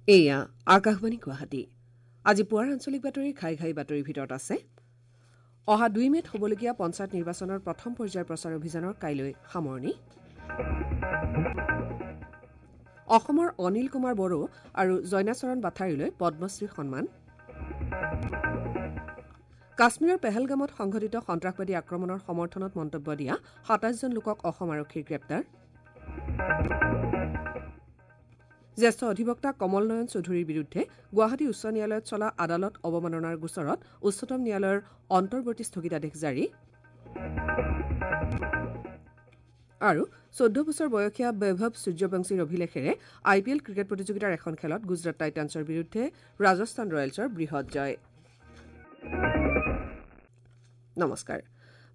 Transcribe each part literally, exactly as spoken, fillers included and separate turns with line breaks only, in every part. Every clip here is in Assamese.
এয়া আকাশবাণী গুৱাহাটী। আজি পুৱাৰ আঞ্চলিক বাতৰি ঘাই ঘাই বাতৰিৰ ভিতৰত আছে অহা দুই মে'ত হ'বলগীয়া পঞ্চায়ত নিৰ্বাচনৰ প্ৰথম পৰ্যায়ৰ প্ৰচাৰ অভিযানৰ কাইলৈ সামৰণি। অসমৰ অনিল কুমাৰ বড়ো আৰু জয়নাচৰণ বাথাৰীলৈ পদ্মশ্ৰী সন্মান। কাশ্মীৰৰ পেহেলগামত সংঘটিত সন্ত্ৰাসবাদী আক্ৰমণৰ সমৰ্থনত মন্তব্য দিয়া সাতাইছজন লোকক অসম আৰক্ষীৰ গ্ৰেপ্তাৰ। জ্যেষ্ঠ অধিবক্তা কমল নয়ন চৌধুৰীৰ বিৰুদ্ধে গুৱাহাটী উচ্চ ন্যায়ালয়ত চলা আদালত অৱমাননাৰ গোচৰত উচ্চতম ন্যায়ালয়ৰ অন্তৰ্বৰ্তী স্থগিতাদেশ জাৰি। আৰু চৈধ্য বছৰ বয়সীয়া বৈভৱ সূৰ্যবংশীৰ অভিলেখেৰে আই পি এল ক্ৰিকেট প্ৰতিযোগিতাৰ এখন খেলত গুজৰাট টাইটানছৰ বিৰুদ্ধে ৰাজস্থান ৰয়েলছৰ বৃহৎ জয়। নমস্কাৰ,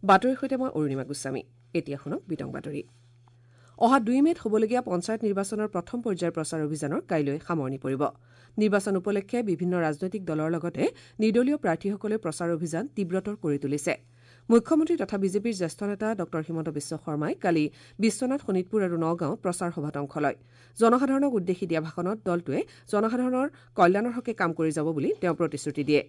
বাতৰিৰ সৈতে মই অৰুণিমা গোস্বামী। এতিয়া শুনক বিতং বাতৰি। অহা দুই মে'ত হ'বলগীয়া পঞ্চায়ত নিৰ্বাচনৰ প্ৰথম পৰ্যায়ৰ প্ৰচাৰ অভিযানৰ কাইলৈ সামৰণি পৰিব। নিৰ্বাচন উপলক্ষে বিভিন্ন ৰাজনৈতিক দলৰ লগতে নিৰ্দলীয় প্ৰাৰ্থীসকলে প্ৰচাৰ অভিযান তীব্ৰতৰ কৰি তুলিছে। মুখ্যমন্ত্ৰী তথা বিজেপিৰ জ্যেষ্ঠ নেতা ডঃ হিমন্ত বিশ্ব শৰ্মাই কালি বিশ্বনাথ, শোণিতপুৰ আৰু নগাঁৱত প্ৰচাৰ সভাত অংশ লয়। জনসাধাৰণক উদ্দেশ্যি দিয়া ভাষণত দলটোৱে জনসাধাৰণৰ কল্যাণৰ হকে কাম কৰি যাব বুলি তেওঁ প্ৰতিশ্ৰুতি দিয়ে।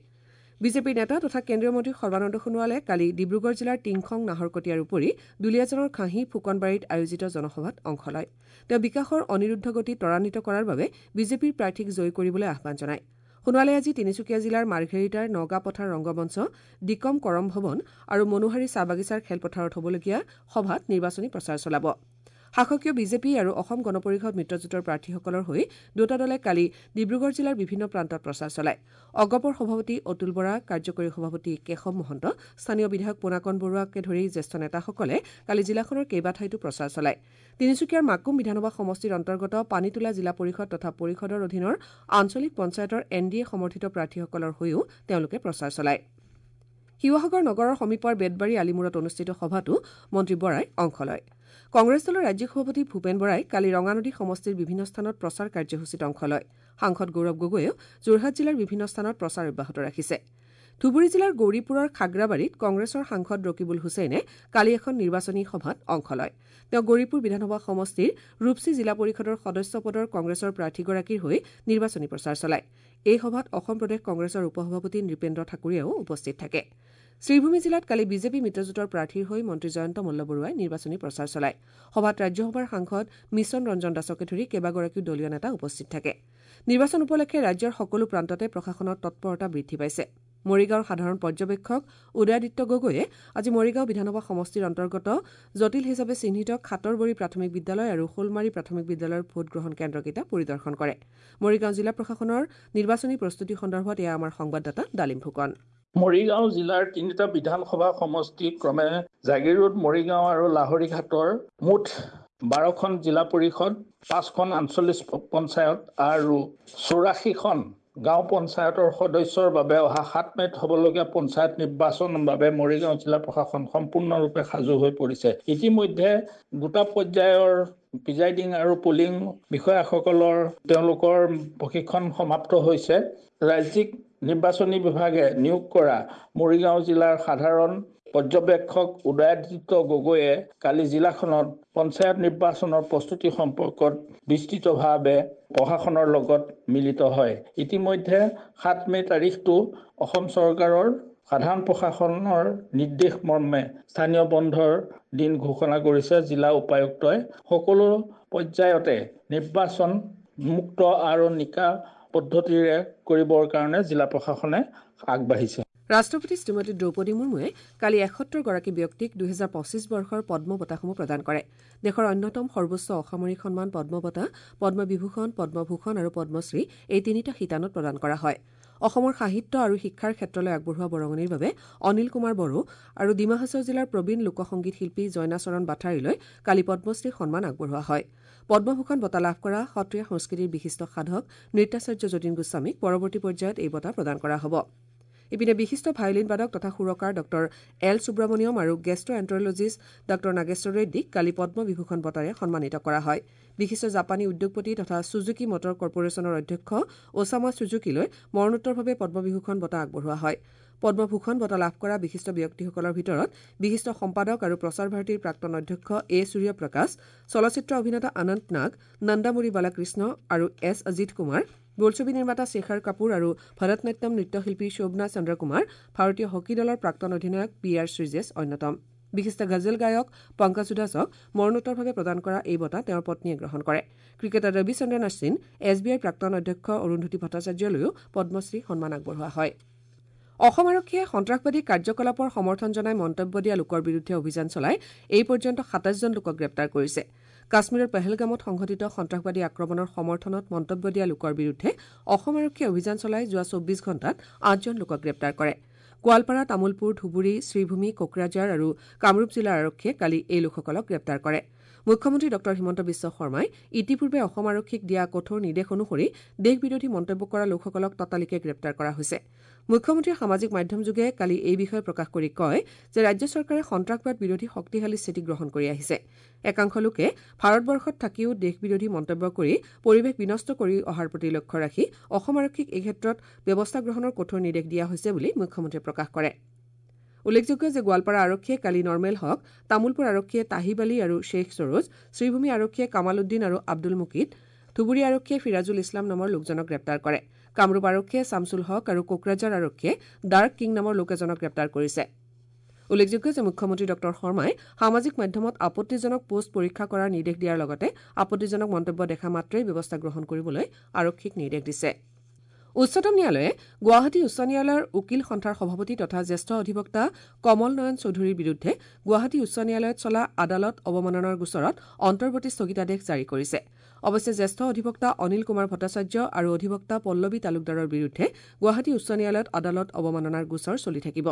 বিজেপিৰ নেতা তথা কেন্দ্ৰীয় মন্ত্ৰী সৰ্বানন্দ সোণোৱালে কালি ডিব্ৰুগড় জিলাৰ টিংখং, নাহৰকটীয়াৰ উপৰি দুলীয়াজানৰ খাহী ফুকনবাৰীত আয়োজিত জনসভাত অংশ লয়। তেওঁ বিকাশৰ অনিৰুদ্ধ গতি ত্বৰান্বিত কৰাৰ বাবে বিজেপিৰ প্ৰাৰ্থীক জয়ী কৰিবলৈ আহ্বান জনায়। সোণোৱালে আজি তিনিচুকীয়া জিলাৰ মাৰ্ঘেৰিটাৰ নগাপথাৰ ৰংগমঞ্চ, ডিকম কৰম ভৱন আৰু মনোহাৰী চাহ বাগিচাৰ খেলপথাৰত হ'বলগীয়া সভাত নিৰ্বাচনী প্ৰচাৰ চলাব। শাসকীয় বিজেপি আৰু অসম গণ পৰিষদ মিত্ৰজোঁটৰ প্ৰাৰ্থীসকলৰ হৈ দুয়োটা দলে কালি ডিব্ৰুগড় জিলাৰ বিভিন্ন প্ৰান্তত প্ৰচাৰ চলায়। অগপৰ সভাপতি অতুল বৰা, কাৰ্যকৰী সভাপতি কেশৱ মহন্ত, স্থানীয় বিধায়ক পোনাকণ বৰুৱাকে ধৰি জ্যেষ্ঠ নেতাসকলে কালি জিলাখনৰ কেইবাঠাইতো প্ৰচাৰ চলায়। তিনিচুকীয়াৰ মাকুম বিধানসভা সমষ্টিৰ অন্তৰ্গত পানীতোলা জিলা পৰিষদ তথা পৰিষদৰ অধীনৰ আঞ্চলিক পঞ্চায়তৰ এন ডি এ সমৰ্থিত প্ৰাৰ্থীসকলৰ হৈও তেওঁলোকে প্ৰচাৰ চলায়। শিৱসাগৰ নগৰৰ সমীপৰ বেতবাৰী আলিমূৰত অনুষ্ঠিত সভাতো মন্ত্ৰী বৰাই অংশ লয়। কংগ্ৰেছ দলৰ ৰাজ্যিক সভাপতি ভূপেন বৰাই কালি ৰঙানদী সমষ্টিৰ বিভিন্ন স্থানত প্ৰচাৰ কাৰ্যসূচীত অংশ লয়। সাংসদ গৌৰৱ গগৈয়েও যোৰহাট জিলাৰ বিভিন্ন স্থানত প্ৰচাৰ অব্যাহত ৰাখিছে। ধুবুৰী জিলাৰ গৌৰীপুৰৰ খাগ্ৰাবাৰীত কংগ্ৰেছৰ সাংসদ ৰকিবুল হুছেইনে কালি এখন নিৰ্বাচনী সভাত অংশ লয়। তেওঁ গৌৰীপুৰ বিধানসভা সমষ্টিৰ ৰূপচী জিলা পৰিষদৰ সদস্য পদৰ কংগ্ৰেছৰ প্ৰাৰ্থীগৰাকীৰ হৈ নিৰ্বাচনী প্ৰচাৰ চলায়। এই সভাত অসম প্ৰদেশ কংগ্ৰেছৰ উপ-সভাপতি নৃপেন্দ্ৰ ঠাকুৰীয়াও উপস্থিত থাকে। শ্ৰীভূমি জিলাত কালি বিজেপি মিত্ৰজোঁটৰ প্ৰাৰ্থীৰ হৈ মন্ত্ৰী জয়ন্ত মল্লবৰুৱাই নিৰ্বাচনী প্ৰচাৰ চলায়। সভাত ৰাজ্যসভাৰ সাংসদ মিছন ৰঞ্জন দাসকে ধৰি কেইবাগৰাকীও দলীয় নেতা উপস্থিত থাকে। নিৰ্বাচন উপলক্ষে ৰাজ্যৰ সকলো প্ৰান্ততে প্ৰশাসনৰ তৎপৰতা বৃদ্ধি পাইছে। মৰিগাঁৱৰ সাধাৰণ পৰ্যবেক্ষক উদয়াদিত্য গগৈয়ে আজি মৰিগাঁও বিধানসভা সমষ্টিৰ অন্তৰ্গত জটিল হিচাপে চিহ্নিত খাটৰবৰী প্ৰাথমিক বিদ্যালয় আৰু শোলমাৰী প্ৰাথমিক বিদ্যালয়ৰ ভোটগ্ৰহণ কেন্দ্ৰকেইটা পৰিদৰ্শন কৰে। মৰিগাঁও জিলা প্ৰশাসনৰ নিৰ্বাচনী প্ৰস্তুতি সন্দৰ্ভত এয়া আমাৰ সংবাদদাতা ডালিম ফুকন।
মৰিগাঁও জিলাৰ তিনিটা বিধানসভা সমষ্টি ক্ৰমে জাগীৰোড, মৰিগাঁও আৰু লাহৰীঘাটৰ মুঠ বাৰখন জিলা পৰিষদ, পাঁচখন আঞ্চলিক পঞ্চায়ত আৰু চৌৰাশীখন গাঁও পঞ্চায়তৰ সদস্যৰ বাবে অহা সাত মে'ত হ'বলগীয়া পঞ্চায়ত নিৰ্বাচনৰ বাবে মৰিগাঁও জিলা প্ৰশাসন সম্পূৰ্ণৰূপে সাজু হৈ পৰিছে। ইতিমধ্যে দুটা পৰ্যায়ৰ প্ৰিজাইডিং আৰু পলিং বিষয়াসকলৰ তেওঁলোকৰ প্ৰশিক্ষণ সমাপ্ত হৈছে। ৰাজ্যিক নিৰ্বাচনী বিভাগে নিয়োগ কৰা মৰিগাঁও জিলাৰ সাধাৰণ পৰ্যবেক্ষক উদয়াদিত্য গগৈয়ে কালি জিলাখনত পঞ্চায়ত নিৰ্বাচনৰ প্ৰস্তুতি সম্পৰ্কত বিস্তৃতভাৱে প্ৰশাসনৰ লগত মিলিত হয়। ইতিমধ্যে সাত মে' তাৰিখটো অসম চৰকাৰৰ সাধাৰণ প্ৰশাসনৰ নিৰ্দেশ মৰ্মে স্থানীয় বন্ধৰ দিন ঘোষণা কৰিছে জিলা উপায়ুক্তই। সকলো পৰ্যায়তে নিৰ্বাচন মুক্ত আৰু নিকা পদ্ধতিৰে কৰিবৰ কাৰণে জিলা প্ৰশাসনে আগবাঢ়িছে।
ৰাষ্ট্ৰপতি শ্ৰীমতী দ্ৰৌপদী মুৰ্মুৱে কালি এসত্তৰগৰাকী ব্যক্তিক দুহেজাৰ পঁচিছ বৰ্ষৰ পদ্ম বঁটাসমূহ প্ৰদান কৰে। দেশৰ অন্যতম সৰ্বোচ্চ অসামৰিক সন্মান পদ্ম বঁটা, পদ্মবিভূষণ, পদ্মভূষণ আৰু পদ্মশ্ৰী এই তিনিটা শিতানত প্ৰদান কৰা হয়। অসমৰ সাহিত্য আৰু শিক্ষাৰ ক্ষেত্ৰলৈ আগবঢ়োৱা বৰঙণিৰ বাবে অনিল কুমাৰ বড়ো আৰু ডিমা হাছাও জিলাৰ প্ৰবীণ লোকসংগীত শিল্পী জয়নাচৰণ বাথাৰীলৈ কালি পদ্মশ্ৰী সন্মান আগবঢ়োৱা হয়। পদ্মভূষণ বঁটা লাভ কৰা সত্ৰীয়া সংস্কৃতিৰ বিশিষ্ট সাধক নৃত্যাচাৰ্য যতীন গোস্বামীক পৰৱৰ্তী পৰ্যায়ত এই বঁটা প্ৰদান কৰা হ'ব। ইপিনে বিশিষ্ট ভায়লিন বাদক তথা সুৰকাৰ ডঃ এল সুব্ৰমণিয়ম আৰু গেষ্ট্ৰ এণ্টাৰলজিষ্ট ডঃ নাগেশ্বৰ ৰেড্ডীক কালি পদ্মবিভূষণ বঁটাৰে সন্মানিত কৰা হয়। বিশিষ্ট জাপানী উদ্যোগপতি তথা ছুজুকি মটৰ কৰ্পৰেশ্যনৰ অধ্যক্ষ ওছামা ছুজুকিলৈ মৰণোত্তৰভাৱে পদ্মবিভূষণ বঁটা আগবঢ়োৱা হয়। পদ্মভূষণ বঁটা লাভ কৰা বিশিষ্ট ব্যক্তিসকলৰ ভিতৰত বিশিষ্ট সম্পাদক আৰু প্ৰচাৰ ভাৰতীৰ প্ৰাক্তন অধ্যক্ষ এ সূৰ্যপ্ৰকাশ, চলচ্চিত্ৰ অভিনেতা অনন্ত নাগ, নন্দামুৰি বালাকৃষ্ণ আৰু এছ অজিত কুমাৰ, বোলছবি নিৰ্মাতা শেখৰ কাপুৰ আৰু ভৰতনাট্যম নৃত্যশিল্পী শোভনা চন্দ্ৰকুমাৰ, ভাৰতীয় হকী দলৰ প্ৰাক্তন অধিনায়ক পি আৰ শ্ৰীজেছ অন্যতম। বিশিষ্ট গজল গায়ক পংকজ উধাছক মৰণোত্তৰভাৱে প্ৰদান কৰা এই বঁটা তেওঁৰ পত্নীয়ে গ্ৰহণ কৰে। Cricketer Ravichandran Ashwin, S B আইৰ প্ৰাক্তন অধ্যক্ষ অৰুন্ধতী ভট্টাচাৰ্যলৈও পদ্মশ্ৰী সন্মান আগবঢ়োৱা হয়। অসম আৰক্ষীয়ে সন্ত্ৰাসবাদী কাৰ্যকলাপৰ সমৰ্থন জনাই মন্তব্য দিয়া লোকৰ বিৰুদ্ধে অভিযান চলাই এই পৰ্যন্ত সাতাইছজন লোকক গ্ৰেপ্তাৰ কৰিছে। কাশ্মীৰৰ পেহেলগামত সংঘটিত সন্ত্ৰাসবাদী আক্ৰমণৰ সমৰ্থনত মন্তব্য দিয়া লোকৰ বিৰুদ্ধে অসম আৰক্ষীয়ে অভিযান চলাই যোৱা চৌব্বিছ ঘণ্টাত আঠজন লোকক গ্ৰেপ্তাৰ কৰে। গোৱালপাৰা, তামুলপুৰ, ধুবুৰী, শ্ৰীভূমি, কোকৰাঝাৰ আৰু কামৰূপ জিলাৰ আৰক্ষীয়ে কালি এই লোকসকলক গ্ৰেপ্তাৰ কৰে। মুখ্যমন্ত্ৰী ডঃ হিমন্ত বিশ্ব শৰ্মাই ইতিপূৰ্বে অসম আৰক্ষীক দিয়া কঠোৰ নিৰ্দেশ অনুসৰি দেশ বিৰোধী মন্তব্য কৰা লোকসকলক ততালিকে গ্ৰেপ্তাৰ কৰা হৈছে। মুখ্যমন্ত্ৰীয়ে সামাজিক মাধ্যমযোগে কালি এই বিষয়ে প্ৰকাশ কৰি কয় যে ৰাজ্য চৰকাৰে সন্ত্ৰাসবাদ বিৰোধী শক্তিশালী স্থিতি গ্ৰহণ কৰি আহিছে। একাংশ লোকে ভাৰতবৰ্ষত থাকিও দেশ বিৰোধী মন্তব্য কৰি পৰিৱেশ বিনষ্ট কৰি অহাৰ প্ৰতি লক্ষ্য ৰাখি অসম আৰক্ষীক এই ক্ষেত্ৰত ব্যৱস্থা গ্ৰহণৰ কঠোৰ নিৰ্দেশ দিয়া হৈছে বুলি মুখ্যমন্ত্ৰীয়ে প্ৰকাশ কৰে। উল্লেখযোগ্য যে গোৱালপাৰা আৰক্ষীয়ে কালি নৰ্মেল হক, তামুলপুৰ আৰক্ষীয়ে তাহিব আলী আৰু শ্বেখ সৰোজ, শ্ৰীভূমি আৰক্ষীয়ে কামাল উদ্দিন আৰু আব্দুল মুকিদ, ধুবুৰী আৰক্ষীয়ে ফিৰাজুল ইছলাম নামৰ লোকজনক গ্ৰেপ্তাৰ কৰে। কামৰূপ আৰক্ষীয়ে ছামছুল হক আৰু কোকৰাঝাৰ আৰক্ষীয়ে ডাৰ্ক কিং নামৰ লোক এজনক গ্ৰেপ্তাৰ কৰিছে। উল্লেখযোগ্য যে মুখ্যমন্ত্ৰী ডঃ শৰ্মাই সামাজিক মাধ্যমত আপত্তিজনক পোষ্ট পৰীক্ষা কৰাৰ নিৰ্দেশ দিয়াৰ লগতে আপত্তিজনক মন্তব্য দেখা মাত্ৰেই ব্যৱস্থা গ্ৰহণ কৰিবলৈ আৰক্ষীক নিৰ্দেশ দিছে। উচ্চতম ন্যায়ালয়ে গুৱাহাটী উচ্চ ন্যায়ালয়ৰ উকীল সন্থাৰ সভাপতি তথা জ্যেষ্ঠ অধিবক্তা কমল নয়ন চৌধুৰীৰ বিৰুদ্ধে গুৱাহাটী উচ্চ ন্যায়ালয়ত চলা আদালত অৱমাননাৰ গোচৰত অন্তৰ্বৰ্তী স্থগিতাদেশ জাৰি কৰিছে। অৱশ্যে জ্যেষ্ঠ অধিবক্তা অনিল কুমাৰ ভট্টাচাৰ্য আৰু অধিবক্তা পল্লৱী তালুকদাৰৰ বিৰুদ্ধে গুৱাহাটী উচ্চ ন্যায়ালয়ত আদালত অৱমাননাৰ গোচৰ চলি থাকিব।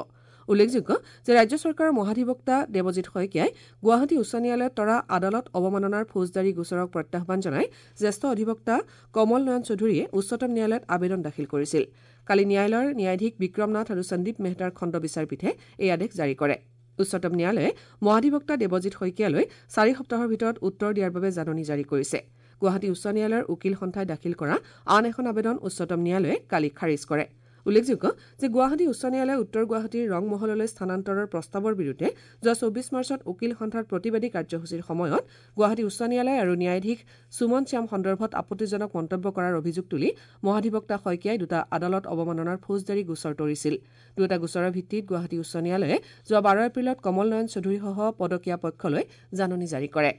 উল্লেখযোগ্য যে ৰাজ্য চৰকাৰৰ মহাধিবক্তা দেৱজিৎ শইকীয়াই গুৱাহাটী উচ্চ ন্যায়ালয়ত তৰা আদালত অৱমাননাৰ ফৌজদাৰী গোচৰক প্ৰত্যাহ্বান জনাই জ্যেষ্ঠ অধিবক্তা কমল নয়ন চৌধুৰীয়ে উচ্চতম ন্যায়ালয়ত আবেদন দাখিল কৰিছিল। কালি ন্যায়ালয়ৰ ন্যায়াধীশ বিক্ৰম নাথ আৰু সন্দীপ মেহতাৰ খণ্ড বিচাৰপীঠে এই আদেশ জাৰি কৰে। উচ্চতম ন্যায়ালয়ে মহাধিবক্তা দেৱজিৎ শইকীয়ালৈ চাৰি সপ্তাহৰ ভিতৰত উত্তৰ দিয়াৰ বাবে জাননী জাৰি কৰিছে। গুৱাহাটী উচ্চ ন্যায়ালয়ৰ উকীল সন্থাই দাখিল কৰা আন এখন আবেদন উচ্চতম ন্যায়ালয়ে কালি খাৰিজ কৰে। উল্লেখযোগ্য যে গুৱাহাটী উচ্চ ন্যায়ালয়ে উত্তৰ গুৱাহাটীৰ ৰংমহললৈ স্থানান্তৰৰ প্ৰস্তাৱৰ বিৰুদ্ধে যোৱা চৌবিছ মাৰ্চত উকীল সন্থাৰ প্ৰতিবাদী কাৰ্যসূচীৰ সময়ত গুৱাহাটী উচ্চ ন্যায়ালয় আৰু ন্যায়াধীশ সুমন শ্যাম সন্দৰ্ভত আপত্তিজনক মন্তব্য কৰাৰ অভিযোগ তুলি মহাধিবক্তা শইকীয়াই দুটা আদালত অৱমাননাৰ ফৌজদাৰী গোচৰ তৰিছিল। দুয়োটা গোচৰৰ ভিত্তিত গুৱাহাটী উচ্চ ন্যায়ালয়ে যোৱা বাৰ এপ্ৰিলত কমল নয়ন চৌধুৰীসহ পদকীয়া পক্ষলৈ জাননী জাৰি কৰে।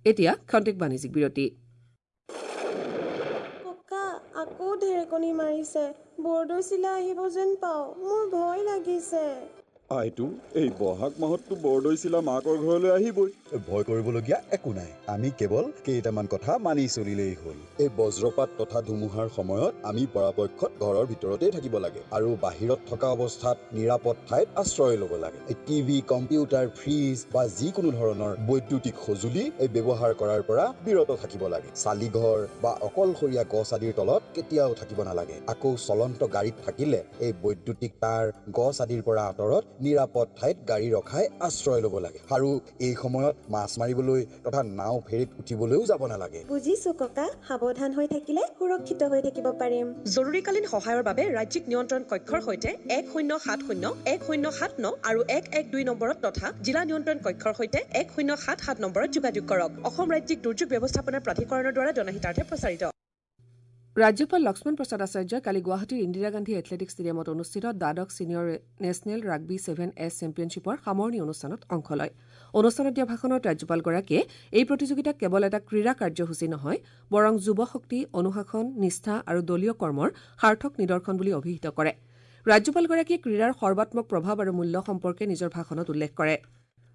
এতিয়া খন্তেক বাণিজ্যিক বিৰতি।
আকৌ ঢেৰেকনি মাৰিছে, বৰদৈচিলা আহিব যেন পাওঁ, মোৰ ভয় লাগিছে।
আইতো, এই বহাগ মাহততো বৰদৈচিলা মাকৰ ঘৰলৈ আহিবই।
ভয় কৰিবলগীয়া একো নাই, আমি কেৱল কেইটামান কথা মানি চলিলেই হ'ল। এই বজ্ৰপাত তথা ধুমুহাৰ সময়ত আমি পৰাপক্ষত ঘৰৰ ভিতৰতেই থাকিব লাগে আৰু বাহিৰত থকা অৱস্থাত নিৰাপদ ঠাইত আশ্ৰয় ল'ব লাগে। এই টিভি, কম্পিউটাৰ, ফ্ৰিজ বা যিকোনো ধৰণৰ বৈদ্যুতিক সঁজুলি এই ব্যৱহাৰ কৰাৰ পৰা বিৰত থাকিব লাগে। চালিঘৰ বা অকলশৰীয়া গছ আদিৰ তলত কেতিয়াও থাকিব নালাগে। আকৌ চলন্ত গাড়ীত থাকিলে এই বৈদ্যুতিক তাঁৰ, গছ আদিৰ পৰা আঁতৰত নিৰাপদ ঠাইত গাড়ী ৰখাই আশ্ৰয় ল'ব লাগে। আৰু এই সময়ত মাছ মাৰিবলৈ তথা নাও ফেৰীত উঠিবলৈও যাব নালাগে।
বুজিছো ককা, সাৱধান হৈ থাকিলে সুৰক্ষিত হৈ থাকিব পাৰিম।
জৰুৰীকালীন সহায়ৰ বাবে ৰাজ্যিক নিয়ন্ত্ৰণ কক্ষৰ সৈতে এক শূন্য সাত শূন্য এক শূন্য সাত ন আৰু এক এক দুই নম্বৰত তথা জিলা নিয়ন্ত্ৰণ কক্ষৰ সৈতে এক শূন্য সাত সাত নম্বৰত যোগাযোগ কৰক। অসম ৰাজ্যিক দুৰ্যোগ ব্যৱস্থাপনা প্ৰাধিকৰণৰ দ্বাৰা জনহিতাৰ্থে প্ৰচাৰিত।
ৰাজ্যপাল লক্ষ্মণ প্ৰসাদ আচাৰ্যই কালি গুৱাহাটীৰ ইন্দিৰা গান্ধী এথলেটিক ষ্টেডিয়ামত অনুষ্ঠিত দ্বাদশ senior national rugby seven S চেম্পিয়নশ্বিপৰ সামৰণি অনুষ্ঠানত অংশ লয়। অনুষ্ঠানত দিয়া ভাষণত ৰাজ্যপালগৰাকীয়ে এই প্ৰতিযোগিতা কেৱল এটা ক্ৰীড়া কাৰ্যসূচী নহয়, বৰং যুৱ শক্তি, অনুশাসন, নিষ্ঠা আৰু দলীয় কৰ্মৰ সাৰ্থক নিদৰ্শন বুলি অভিহিত কৰে। ৰাজ্যপালগৰাকীয়ে ক্ৰীড়াৰ সৰ্বাত্মক প্ৰভাৱ আৰু মূল্য সম্পৰ্কে নিজৰ ভাষণত উল্লেখ কৰে।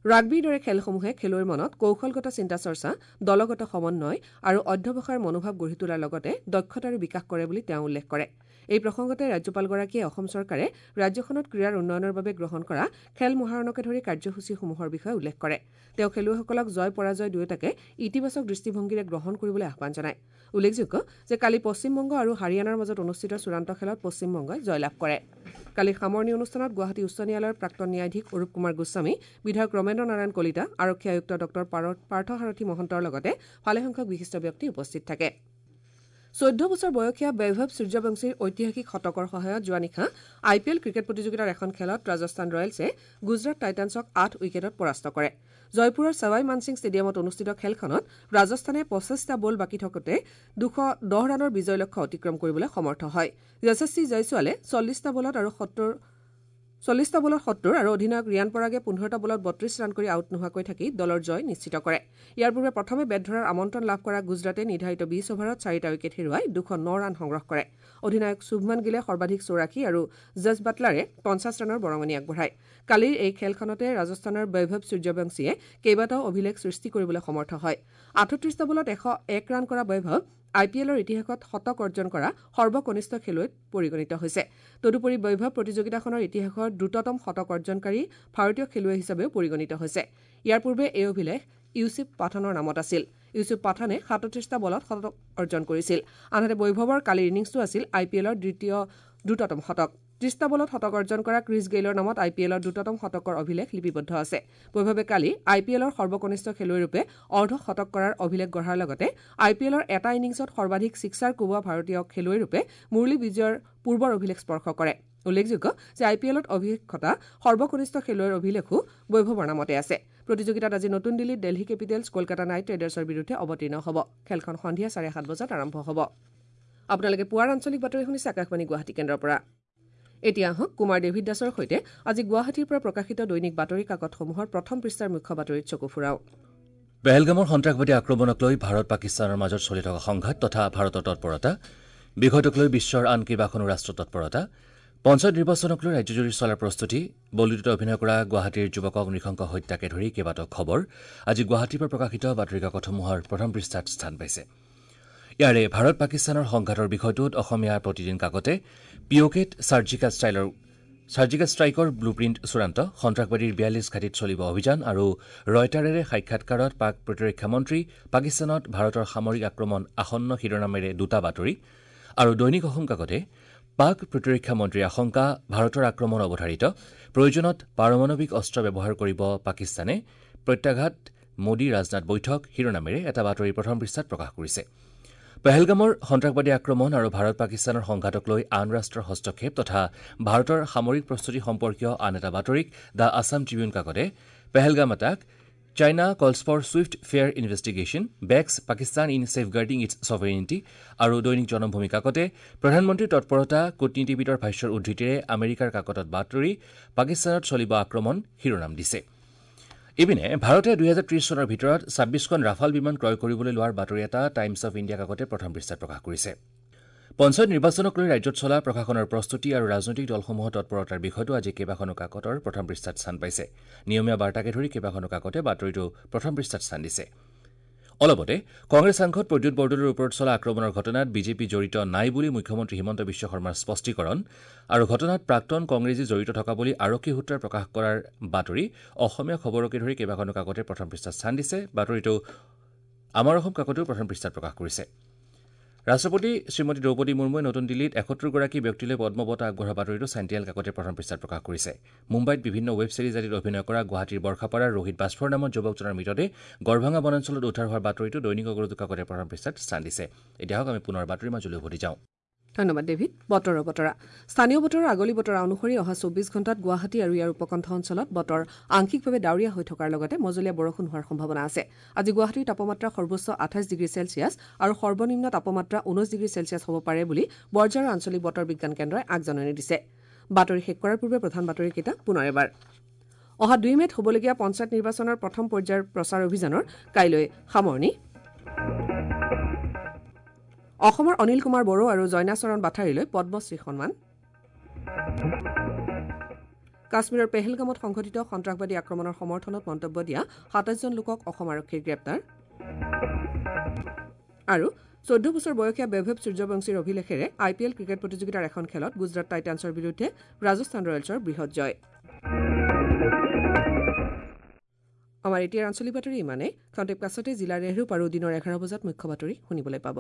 ৰাগবীৰ দৰে খেলসমূহে খেলুৱৈৰ মনত কৌশলগত চিন্তা চৰ্চা, দলগত সমন্বয় আৰু অধ্যৱসায়ৰ মনোভাৱ গঢ়ি তোলাৰ লগতে দক্ষতাৰো বিকাশ কৰে বুলি তেওঁ উল্লেখ কৰে। এই প্ৰসংগতে ৰাজ্যপালগৰাকীয়ে অসম চৰকাৰে ৰাজ্যখনত ক্ৰীড়াৰ উন্নয়নৰ বাবে গ্ৰহণ কৰা খেল মহাৰণকে ধৰি কাৰ্যসূচীসমূহৰ বিষয়ে উল্লেখ কৰে। তেওঁ খেলুৱৈসকলক জয় পৰাজয় দুয়োটাকে ইতিবাচক দৃষ্টিভংগীৰে গ্ৰহণ কৰিবলৈ আহ্বান জনায়। উল্লেখযোগ্য যে কালি পশ্চিমবংগ আৰু হাৰিয়ানাৰ মাজত অনুষ্ঠিত চূড়ান্ত খেলত পশ্চিমবংগই জয়লাভ কৰে। কালি সামৰণি অনুষ্ঠানত গুৱাহাটী উচ্চ ন্যায়ালয়ৰ প্ৰাক্তন ন্যায়াধীশ অৰূপ কুমাৰ গোস্বামী, বিধায়ক ৰমেন্দ্ৰ নাৰায়ণ কলিতা, আৰক্ষী আয়ুক্ত ডঃ পাৰ্থসাৰথী মহন্তৰ লগতে ভালেসংখ্যক বিশিষ্ট ব্যক্তি উপস্থিত থাকে। চৈধ্য বছৰ বয়সীয়া বৈভৱ সূৰ্যবংশীৰ ঐতিহাসিক শতকৰ সহায়ত যোৱা নিশা আই পি এল ক্ৰিকেট প্ৰতিযোগিতাৰ এখন খেলত ৰাজস্থান ৰয়েলছে গুজৰাট টাইটানছক আঠ উইকেটত পৰাস্ত কৰে। জয়পুৰৰ ছাৱাই মানসিং ষ্টেডিয়ামত অনুষ্ঠিত খেলখনত ৰাজস্থানে পঁচিছটা বল বাকী থাকোঁতে দুশ দহ ৰানৰ বিজয় লক্ষ্য অতিক্ৰম কৰিবলৈ সমৰ্থ হয়। যশস্বী জয়ছোৱালে চল্লিছটা বলত আৰু সত্তৰ চল্লিছটা বলত সত্তৰ আৰু অধিনায়ক ৰিয়ান পৰাগে পোন্ধৰটা বলত বত্ৰিশ ৰান কৰি আউট নোহোৱাকৈ থাকি দলৰ জয় নিশ্চিত কৰে। ইয়াৰ পূৰ্বে প্ৰথমে বেট ধৰাৰ আমন্ত্ৰণ লাভ কৰা গুজৰাটে নিৰ্ধাৰিত বিশ অভাৰত চাৰিটা উইকেট হেৰুৱাই দুশ ন ৰান সংগ্ৰহ কৰে। অধিনায়ক শুভমান গিলে সৰ্বাধিক চৌৰাশী আৰু জছ বাটলাৰে পঞ্চাছ ৰানৰ বৰঙণি আগবঢ়ায়। কালিৰ এই খেলখনতে ৰাজস্থানৰ বৈভৱ সূৰ্যবংশীয়ে কেইবাটাও অভিলেখ সৃষ্টি কৰিবলৈ সমৰ্থ হয়। আঠত্ৰিছটা বলত এশ এক ৰান কৰা বৈভৱ আই পি এলৰ ইতিহাসত শতক অৰ্জন কৰা সৰ্বকনিষ্ঠ খেলুৱৈত পৰিগণিত হৈছে। তদুপৰি বৈভৱ প্ৰতিযোগিতাখনৰ ইতিহাসৰ দ্ৰুততম শতক অৰ্জনকাৰী ভাৰতীয় খেলুৱৈ হিচাপেও পৰিগণিত হৈছে। ইয়াৰ পূৰ্বে এই অভিলেখ ইউছুফ পাঠানৰ নামত আছিল। ইউছুফ পাঠানে সাতত্ৰিছটা বলত শতক অৰ্জন কৰিছিল। আনহাতে বৈভৱৰ কালিৰ ইনিংছটো আছিল আই পি এলৰ দ্বিতীয় দ্ৰুততম শতক। ত্ৰিছটা বলত শতক অৰ্জন কৰা ক্ৰিছ গেইলৰ নামত আই পি এলৰ দ্ৰুততম শতকৰ অভিলেখ লিপিবদ্ধ আছে। বৈভৱে কালি আই পি এলৰ সৰ্বকনিষ্ঠ খেলুৱৈৰূপে অৰ্ধ শতক কৰাৰ অভিলেখ গঢ়াৰ লগতে আই পি এলৰ এটা ইনিংছত সৰ্বাধিক ছিক্সাৰ কোবোৱা ভাৰতীয় খেলুৱৈৰূপে মুৰলী বিজয়ৰ পূৰ্বৰ অভিলেখ স্পৰ্শ কৰে। উল্লেখযোগ্য যে আই পি এলত অভিলেখ ঘটা সৰ্বকনিষ্ঠ খেলুৱৈৰ অভিলেখো বৈভৱৰ নামতে আছে। প্ৰতিযোগিতাত আজি নতুন দিল্লীত দিল্লী কেপিটেলছ কলকাতা নাইট ৰাইডাৰ্ছৰ বিৰুদ্ধে অৱতীৰ্ণ হ'ব। খেলখন সন্ধিয়া চাৰে সাত বজাত আৰম্ভ হ'ব। আপোনালোকে পুৱাৰ আঞ্চলিক বাতৰি শুনিছে আকাশবাণী গুৱাহাটী কেন্দ্ৰৰ পৰা। এতিয়া আহক কুমাৰ ডেভিড দাসৰ সৈতে আজি গুৱাহাটীৰ পৰা প্ৰকাশিত দৈনিক বাতৰি কাকতসমূহৰ প্ৰথম পৃষ্ঠাৰ মুখ্য বাতৰিত চকু ফুৰাওঁ।
পেহেলগামৰ সন্ত্ৰাসবাদী আক্ৰমণক লৈ ভাৰত পাকিস্তানৰ মাজত চলি থকা সংঘাত তথা ভাৰতৰ তৎপৰতা, বিষয়টোক লৈ বিশ্বৰ আন কেইবাখনো ৰাষ্ট্ৰ তৎপৰতা, পঞ্চায়ত নিৰ্বাচনক লৈ ৰাজ্যজুৰি চলা প্ৰস্তুতি, বলিউডত অভিনয় কৰা গুৱাহাটীৰ যুৱকক নৃশংস হত্যাকে ধৰি কেইবাটাও খবৰ আজি গুৱাহাটীৰ পৰা প্ৰকাশিত বাতৰি কাকতসমূহৰ প্ৰথম পৃষ্ঠাত স্থান পাইছে। ইয়াৰে ভাৰত পাকিস্তানৰ সংঘাতৰ বিষয়টোত অসমীয়া প্ৰতিদিন কাকতে পি অ' কেত ছাৰ্জিকেল ষ্টাইলৰ ছাৰ্জিকেল ষ্ট্ৰাইকৰ ব্লুপ্ৰিণ্ট চূড়ান্ত, সন্ত্ৰাসবাদীৰ বিয়াল্লিছ ঘাটিত চলিব অভিযান আৰু ৰয়টাৰেৰে সাক্ষাৎকাৰত পাক প্ৰতিৰক্ষা মন্ত্ৰী পাকিস্তানত ভাৰতৰ সামৰিক আক্ৰমণ আসন্ন শিৰোনামেৰে দুটা বাতৰি আৰু দৈনিক অসম কাকতে পাক প্ৰতিৰক্ষা মন্ত্ৰীৰ আশংকা ভাৰতৰ আক্ৰমণ অৱধাৰিত, প্ৰয়োজনত পাৰমাণৱিক অস্ত্ৰ ব্যৱহাৰ কৰিব পাকিস্তানে, প্ৰত্যাঘাত মোদী ৰাজনাথ বৈঠক শিৰোনামেৰে এটা বাতৰি প্ৰথম পৃষ্ঠাত প্ৰকাশ কৰিছে। পেহেলগামৰ সন্ত্ৰাসবাদী আক্ৰমণ আৰু ভাৰত পাকিস্তানৰ সংঘাতক লৈ আন ৰাষ্ট্ৰৰ হস্তক্ষেপ তথা ভাৰতৰ সামৰিক প্ৰস্তুতি সম্পৰ্কীয় আন এটা বাতৰিক the Assam Tribune কাকতে Pahalgam attack, China calls for swift fair investigation, backs Pakistan in safeguarding its sovereignty আৰু দৈনিক জনমভূমি কাকতে প্ৰধানমন্ত্ৰীৰ তৎপৰতা কূটনীতিবিদৰ ভাষ্যৰ উদ্ধৃতিৰে আমেৰিকাৰ কাকতত বাতৰি পাকিস্তানত চলিব আক্ৰমণ শিৰোনাম দিছে। ইপিনে ভাৰতে দুহেজাৰ ত্ৰিশ চনৰ ভিতৰত ছাব্বিছখন ৰাফাল বিমান ক্ৰয় কৰিবলৈ লোৱাৰ বাতৰি এটা টাইমছ অৱ ইণ্ডিয়া কাকতে প্ৰথম পৃষ্ঠাত প্ৰকাশ কৰিছে। পঞ্চায়ত নিৰ্বাচনক লৈ ৰাজ্যত চলা প্ৰশাসনৰ প্ৰস্তুতি আৰু ৰাজনৈতিক দলসমূহৰ তৎপৰতাৰ বিষয়টো আজি কেইবাখনো কাকতৰ প্ৰথম পৃষ্ঠাত স্থান পাইছে। নিয়মীয়া বাৰ্তাকে ধৰি কেইবাখনো কাকতে বাতৰিটো প্ৰথম পৃষ্ঠাত স্থান দিছে। অলপতে কংগ্ৰেছ সাংসদ প্ৰদ্যুৎ বৰদলৈৰ ওপৰত চলা আক্ৰমণৰ ঘটনাত বিজেপি জড়িত নাই বুলি মুখ্যমন্ত্ৰী হিমন্ত বিশ্ব শৰ্মাৰ স্পষ্টীকৰণ আৰু ঘটনাত প্ৰাক্তন কংগ্ৰেছী জড়িত থকা বুলি আৰক্ষী সূত্ৰই প্ৰকাশ কৰাৰ বাতৰি অসমীয়া খবৰকে ধৰি কেইবাখনো কাকতে প্ৰথম পৃষ্ঠাত স্থান দিছে। বাতৰিটো আমাৰ অসম কাকতেও প্ৰথম পৃষ্ঠাত প্ৰকাশ কৰিছে। ৰাষ্ট্ৰপতি শ্ৰীমতী দ্ৰৌপদী মুৰ্মুৱে নতুন দিল্লীত এসত্তৰগৰাকী ব্যক্তিলৈ পদ্ম বঁটা আগবঢ়োৱা বাতৰিটো চেণ্টিনেল কাকতে প্ৰথম পৃষ্ঠাত প্ৰকাশ কৰিছে। মুম্বাইত বিভিন্ন ৱেব ছিৰিজ আদিত অভিনয় কৰা গুৱাহাটীৰ বৰ্ষাপাৰাৰ ৰোহিত বাছফৰ নামৰ যুৱকজনৰ মৃতদেহ গড়ভাঙা বনাঞ্চলত উদ্ধাৰ হোৱাৰ বাতৰিটো দৈনিক অগ্ৰদূত কাকতে প্ৰথম পৃষ্ঠাত স্থান দিছে। এতিয়া হওক আমি পুনৰ বাতৰিৰ মাজলৈ উভতি যাওঁ।
ধন্যবাদ ডেভিড। বতৰৰ বতৰা। স্থানীয় বতৰৰ আগলি বতৰা অনুসৰি অহা চৌবিশ ঘণ্টাত গুৱাহাটী আৰু ইয়াৰ উপকণ্ঠ অঞ্চলত বতৰ আংশিকভাৱে ডাৱৰীয়া হৈ থকাৰ লগতে মজলীয়া বৰষুণ হোৱাৰ সম্ভাৱনা আছে। আজি গুৱাহাটীৰ তাপমাত্ৰা সৰ্বোচ্চ আঠাইছ ডিগ্ৰী চেলছিয়াছ আৰু সৰ্বনিম্ন তাপমাত্ৰা ঊনৈছ ডিগ্ৰী চেলছিয়াছ হ'ব পাৰে বুলি বৰঝাৰৰ আঞ্চলিক বতৰ বিজ্ঞান কেন্দ্ৰই আগজাননী দিছে। বাতৰি শেষ কৰাৰ পূৰ্বে প্ৰধান বাতৰিকেইটা পুনৰ এবাৰ। অহা দুই মে'ত হ'বলগীয়া পঞ্চায়ত নিৰ্বাচনৰ প্ৰথম পৰ্যায়ৰ প্ৰচাৰ অভিযানৰ কাইলৈ সামৰণি। অসমৰ অনিল কুমাৰ বড়ো আৰু জয়নাচৰণ বাথাৰীলৈ পদ্মশ্ৰী সন্মান। কাশ্মীৰৰ পেহেলগামত সংঘটিত সন্ত্ৰাসবাদী আক্ৰমণৰ সমৰ্থনত মন্তব্য দিয়া সাতাইছজন লোকক অসম আৰক্ষীৰ গ্ৰেপ্তাৰ। আৰু চৈধ্য বছৰ বয়সীয়া বৈভৱ সূৰ্যবংশীৰ অভিলেখেৰে আই পি এল ক্ৰিকেট প্ৰতিযোগিতাৰ এখন খেলত গুজৰাট টাইটানছৰ বিৰুদ্ধে ৰাজস্থান ৰয়েলছৰ বৃহৎ জয়। আমাৰ এতিয়াৰ আঞ্চলিক বাতৰি ইমানেই। খন্তেক পাছতে জিলাৰ ৰেহৰূপ আৰু দিনৰ এঘাৰ বজাত মুখ্য বাতৰি শুনিবলৈ পাব।